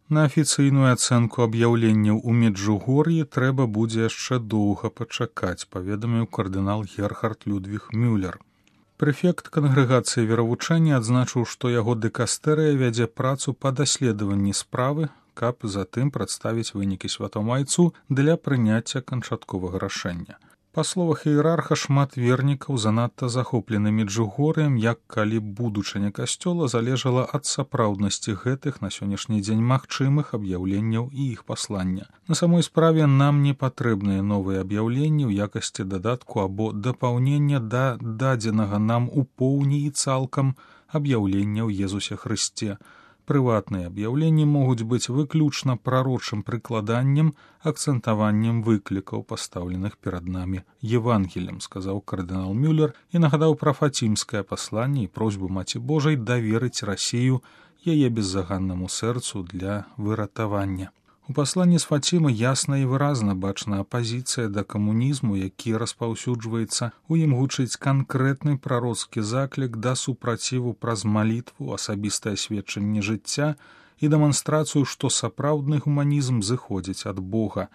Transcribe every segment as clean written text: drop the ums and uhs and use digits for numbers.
На афіцыйную ацэнку аб'яўленняў у Меджугор'і трэба будзе яшчэ доўга пачакаць, паведаміў кардынал Герхард Людвіг Мюллер. Прэфект кангрэгацыі веравучэння адзначыў, што яго дыкастэрыя вядзе працу па даследаванні справы, каб затым прадставіць вынікі святому айцу для прыняцця канчатковага рашэння. Па словах іерарха, шмат вернікаў занадта захоплены Меджугор'ем, як калі будучыня касцёла залежала ад сапраўднасці гэтых на сённяшні дзень магчымых аб'яўленняў і іх паслання. На самой справе нам не патрэбныя новыя аб'яўленні ў якасці дадатку або дапаўнення да дадзенага нам у поўні і цалкам аб'яўлення ў Езусе Хрысце. Прыватныя аб'яўленні могуць быць выключна прарочым прыкладаннем, акцэнтаваннем выклікаў, пастаўленых перад намі Евангелем, сказаў кардынал Мюллер і нагадаў пра фацімскае пасланне і просьбу Маці Божай даверыць Расію яе беззаганнаму сэрцу для выратавання. У пасланні з Фацімы ясна і выразна бачна апазіцыя да камунізму, які распаўсюджваецца, у ім гучыць канкрэтны прароцкі заклік да супраціву праз малітву, асабістае сведчанне жыцця і дэманстрацыю, што сапраўдны гуманізм зыходзіць ад Бога.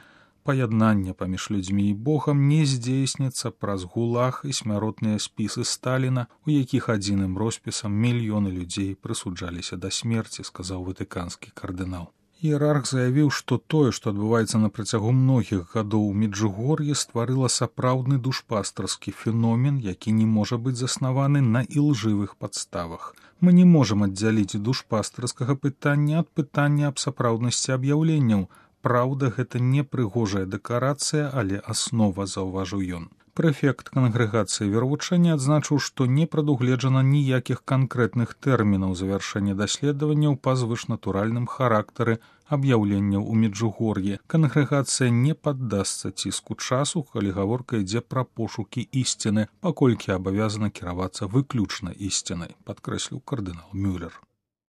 Паяднанне паміж людзьмі і Богам не здзейсніцца праз гулаг і смяротныя спісы Сталіна, у якіх адзіным роспісам мільёны людзей прысуджаліся да смерці, сказаў ватыканскі кардынал. Іерарх заявіў, што тое, што адбываецца на працягу многіх гадоў у Меджугор'і, стварыла сапраўдны душпастарскі феномен, які не можа быць заснаваны на ілжывых падставах. Мы не можам аддзяліць душпастарскага пытання ад пытання аб сапраўднасці аб'яўленняў. Праўда, гэта не прыгожая дэкарацыя, але аснова, заўважыў ён. Прэфект кангрэгацыі веравучэння адзначыў, што не прадугледжана ніякіх канкрэтных тэрмінаў завяршэння даследаванняў па звышнатуральным характары аб'яўленняў у Меджугор'і. Кангрэгацыя не паддасца ціску часу, калі гаворка ідзе пра пошукі ісціны, паколькі абавязана кіравацца выключна ісцінай, падкрэсліў кардынал Мюллер.